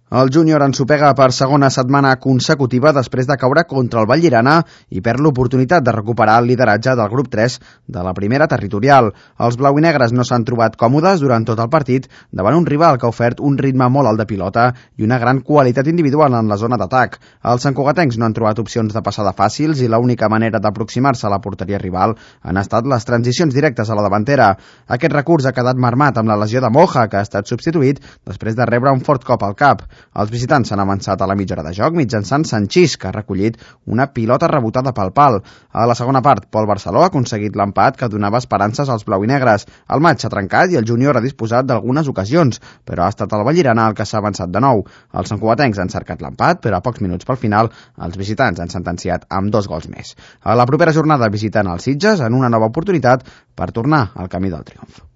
El júnior ensopega per segona setmana consecutiva després de caure contra el Vallirana i perd l'oportunitat de recuperar el lideratge del grup 3 de la primera territorial. Els blau i negres no s'han trobat còmodes durant tot el partit davant un rival que ha ofert un ritme molt alt de pilota i una gran qualitat individual en la zona d'atac. Els santcugatencs no han trobat opcions de passada fàcils i l'única manera d'aproximar-se a la porteria rival han estat les transicions directes a la davantera. Aquest recurs ha quedat marmat amb la lesió de Moja, que ha estat substituït després de rebre un fort cop al cap. Els visitants s'han avançat a la mitja hora de joc mitjançant Sanchís, que ha recollit una pilota rebotada pel pal. A la segona part, Pol Barceló ha aconseguit l'empat que donava esperances als blau i negres. El maig s'ha trencat i el júnior ha disposat d'algunes ocasions, però ha estat el Vallirana el que s'ha avançat de nou. Els santcugatencs han cercat l'empat, però a pocs minuts pel final els visitants han sentenciat amb 2 gols més. A la propera jornada visiten els Sitges en una nova oportunitat per tornar al camí del triomf.